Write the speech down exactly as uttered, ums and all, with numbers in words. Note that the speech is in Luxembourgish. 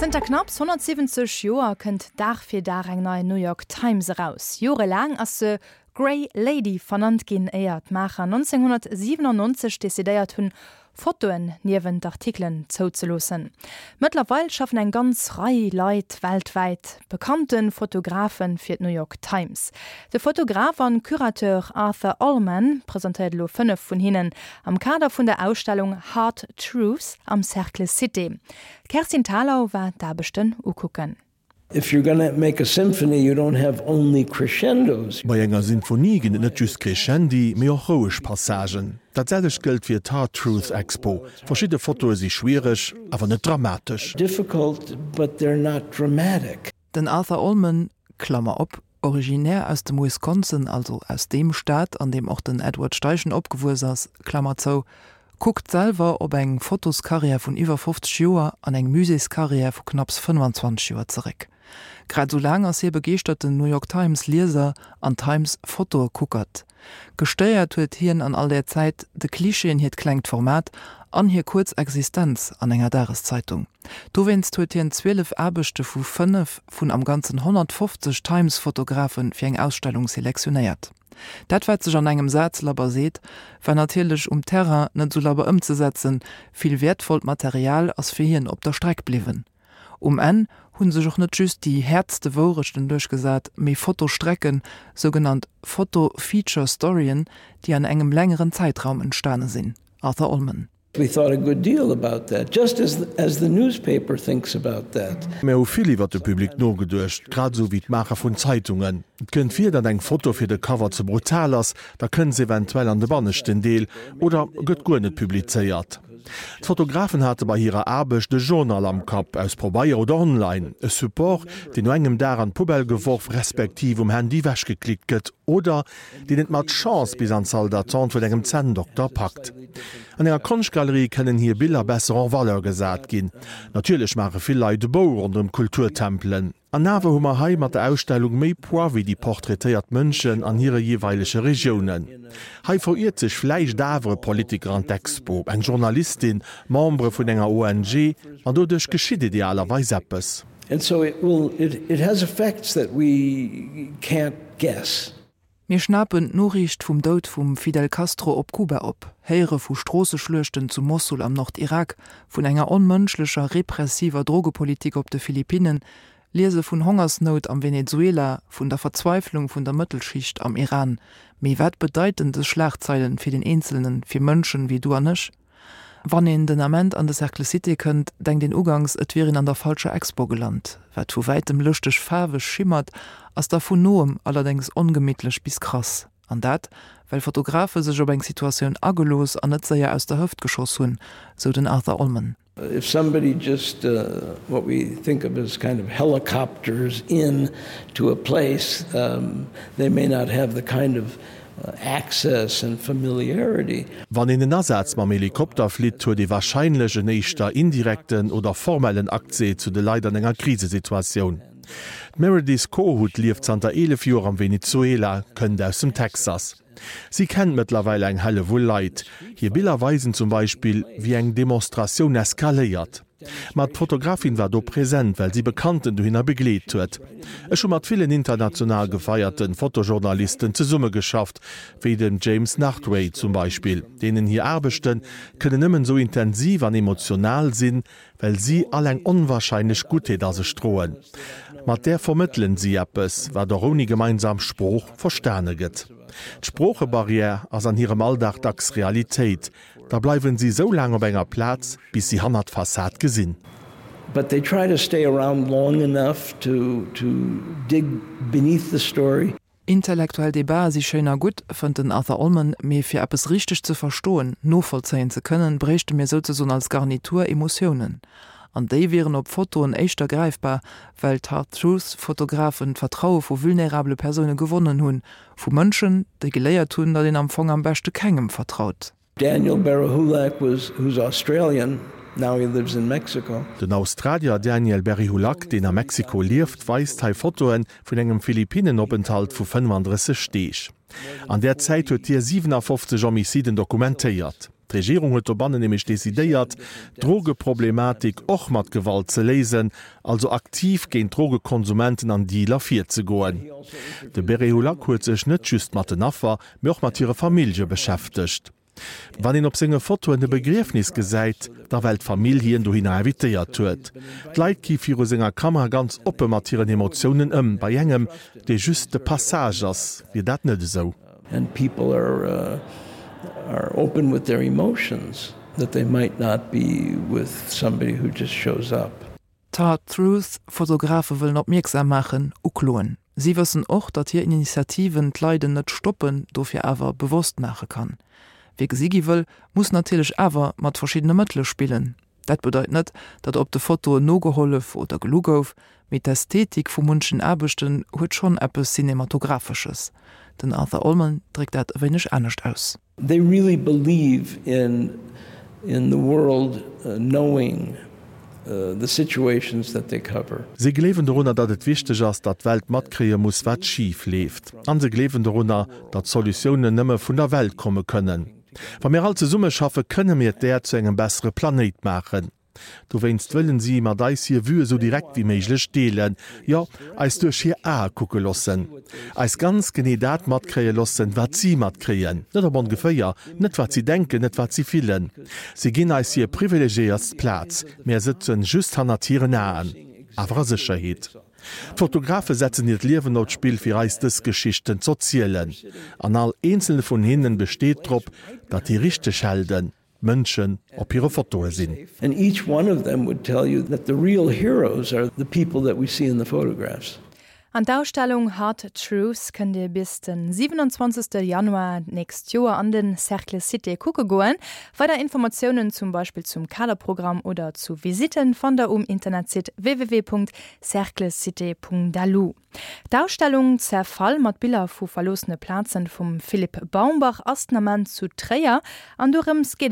Zënter knapps honnertsiwwenzeg Joer kënnt Dag fir Dag eng nei New York Times eraus. Jorelaang ass se Grey Lady vernannt ginn, éier d'Maacher nonzénghonnertsiwenannonzeg decidéiert hunn, Fotoen niewent d'Artikelen zouzeloossen. Mëttlerweil schaffen eng ganz Rei Leit weltwäit, bekannte Fotografen, fir d'New York Times. De Fotograf an Curateur Arthur Ullman presentéiert elo fënnef vun hinnen am Kader vun der Ausstellung Hard Truths am Cercle Cité. D'Kerstin Thalau war d'Aarbechten ukucken. If you're gonna make a symphony, you don't have only crescendos. Bei enger Sinfonie ginn et net just Crescendi, mee och roueg Passagen. Dat selwecht gëllt fir d'Hard Truths Expo. Verschidde Fotoe si schwiereg, awer net dramatesch. Difficult, but they're not dramatic. Den Arthur Ullman, Klammer op, originär aus dem Wisconsin, also aus deem Staat, an deem och den Edward Steichen opgewuess ass, Klammer zou, kuckt selwer op eng Fotoskarriär vun iwwer fofzeg Joer an eng Muséeskarriär vu knapps fënnfanzwanzeg Joer zeréck. Grad esou laang ass hie begeeschterten New York Times Lieser an Times Fotoekuckert. Gestéiert huet hien an all där Zäit de Klischeeën hiert klengt Format an hir kuerz Existenz an enger Dageszeitung. Dowéinst huet hien zwielef Aarbechte vu fënnef vun am Ganzen honnertfofzeg Times Fotografe fir eng Ausstellung selektionéiert. Dat wat sech an engem Saz labber seet, war natierlech um Terrain net sou labber ëmzesetzen, vill wäertvollt Material ass fir hien op der Streck bliwwen. Um Enn hu sech och net just déi häertste Wourechten duerchgesat, mee Fotostrecken, sougenannt Foto-Feature-Storyen, déi an engem längeren Zäitraum entstane sinn. Arthur Ullman. We thought a good deal about that, just as as the newspaper thinks about that. Mir hu vill iwwer de Public nogeduecht, grad esou wéi d'Maacher vun Zeitungen. Et kënnt vir, datt eng Foto fir de Cover ze brutal ass, da kënnt se eventuell an de banneschten Deel oder gëtt guer net publizéiert. D'Fotografen hate bei hirer Aarbecht e Journal am Kapp, aus Pabeier oder online, e Support, deen no engem Dag an d'Poubelle geworf respektiv um Handy ewechgeklickt gëtt oder deen et mat Chance bis an d'Salle d'attente vun engem Zänndokter packt. An enger Konschtgalerie kënnen hir Biller besser en valeur gesat ginn. Natierlech maache vill Leit e Bou ronderëm d'Kulturtempelen. An awer hu mer hei mat der Ausstellung méi Poids wéi déi portraitéiert Mënschen an hire jeeweilege Regiounen. Hei veriert sech vläicht awer e Politiker an d'Expo, eng Journalistin, Membere vun enger O N G, an doduerch geschitt idealerweis eppes. And so it will, it, it has effects that we can't guess. Mir schnapen d'Noriicht vum Doud vum Fidel Castro op Kuba op, héiere vu Stroosseschluechten zu Mossul am Nordirak, vun enger onmënschlecher, repressiver Drogepolitik op de Philippinnen, liese vun Hongersnout am Venezuela, vun der Verzweiflung vun der Mëttelschicht am Iran. Mee wat bedeiten dës Schlagzeilen fir den Eenzelnen, fir Mënschen wéi du an ech? Wann een den Ament an de Cercle Cité kënnt, denkt een uganks, et wier een an der falscher Expo gelant. Wat vu wäitem lëschteg faarweg schimmert, ass da vun noem allerdéngs ongemittlech bis krass. An dat, well Fotografe sech op eng Situatioun agelooss an net séier aus der Hëft geschoss hunn, sou den Arthur Ullman. If somebody just what we think of as kind of helicopters in to a place, they may not have the kind of access and familiarity. Wann een en Asaz mam Helikopter flitt, huet ee warscheinlech en éischter indirekten oder formellen Accès zu de Leit an enger Krisesituatioun. D'Meredith Kohut lieft zanter eelef Joer am Venezuela, kënnt aus dem Texas. Si kennt mëttlerweil eng Hellewull Leit. Hir Biller weisen zum Beispill, wéi eng Demonstratioun eskaléiert. Ma d'Fotografin war do present, well si Bekannten dohinner begleet huet. Ech hu mat villen international gefeierte Fotojournalisten zesummegeschafft, wéi dem James Nachtwey zum Beispill. Deenen hir Aarbechte kënnen nëmmen esou intensiv an emotional sinn, well si all eng onwarscheinlech Guttheet a sech droen. Mat där vermëttelen si eppes, wat och ouni gemeinsam Sprooch verstane gëtt. D'Sproochebarrière ass an hirem Alldag dacks Realitéit. Da bleiwen si sou laang op enger Plaz, bis si hannert d'Fassad gesinn. But they try to stay around long enough to to dig beneath the story. Intellektuell Debate si schéin a gutt, fënnt den Arthur Ullman, mee fir eppes richteg ze verstoen, novollzéien ze kënnen, bréichte mir souzesoen als Garnitur Emotiounen. An déi wieren op Fotoen éischter gräifbar, well d'Hard Truth Fotografen d'Vertraue vu vulnerabele Persoune gewonnen hunn, vu Mënschen, déi geléiert hunn, datt een am Fong am beschte kengem vertraut. Daniel Berehulak was, who's Australian, now he lives in Mexico. Den Australier Daniel Berehulak, deen a Mexiko lieft, weist hei Fotoe vun engem Philippinenopenthalt vu fënnefandrësseg Deeg. An där Zäit huet hie siwenafofzeg Homiciden dokumentéiert. D'Regierung huet dobannen nämlech decidéiert, d'Drogeproblematik och mat Gewalt ze léisen, also aktiv géint Drogekonsumenten an Dealer virzegoen. De Berehulak huet sech net just mat den Affer, mee och mat hire Famillje beschäftegt. Wann een op senge Fotoen e Begriefnis gesäit, da well d'Famill hien dohinner invitéiert huet. D'Leit gi viru senger Kamera ganz oppe mat hiren Emotiounen ëm, bei engem, dee just de Passage ass, wier dat net esou. And people are uh, are open with their emotions that they might not be with somebody who just shows up. D'Hard Truth Fotografe wëllen opmierksam maachen, ukloen. Si wëssen och, datt hir Initiativen d'Leiden net stoppen, dofir awer bewosst maache kann. Wie gesi gi wëll, muss natierlech awer mat verschiddene Mëttele spillen. Dat bedeit net, datt op de Fotoen nogehollef oder gelu gouf, mee d'Ästhetik vu munchen Aarbechten huet schonn eppes Cinematografesches. Den Arthur Ullman dréckt dat e wéineg anescht aus. They really believe in in the world knowing the situations that they cover. Si gleewen dorunner, datt et wichteg ass, datt d'Welt matkréie muss, wat schif leeft. An se gleewen dorunner, datt Solutiounen nëmme vun der Welt komme kënnen. Wa mir all zesummeschaffe, kënne mir d'Äerd zu engem bessere Planéit maachen. Dowéinst wëllen si mat eis hir Vue esou direkt wéi méiglech deelen, jo, eis duerch hir Ae kucke loossen. Eis ganz genee dat matkréie loossen, wat si matkréien. Net op ongeféier, net wat si denken, net wat si fillen. Si ginn eis hir privilegiéiertst Plaz, mir sëtzen just hannert hiren Aen, awer a Sécherheet. D'Fotografe setzen hiert Liewen op d'Spill, fir eis dës Geschichten z'erzielen. An all eenzele vun hinnen besteet drop, datt déi richteg Helden d'Mënschen op hire Fotoe sinn. And each one of them would tell you that the real heroes are the people that we see in the photographs. An d'Ausstellung Hard Truths kënnt Dir bis de siwenanzwanzegste Januar d'nächst Joer an de Cercle Cité kucke goen. Weider Informatiounen zum Beispill zum Kaderprogramm oder zu Visitten fannt der um Internetsite www.cerclecité.lu. D'Ausstellung Zerfall mat Biller vu verloossene Plazen vum Philippe Baumbach ass den Ament zu Tréier an dorëms geet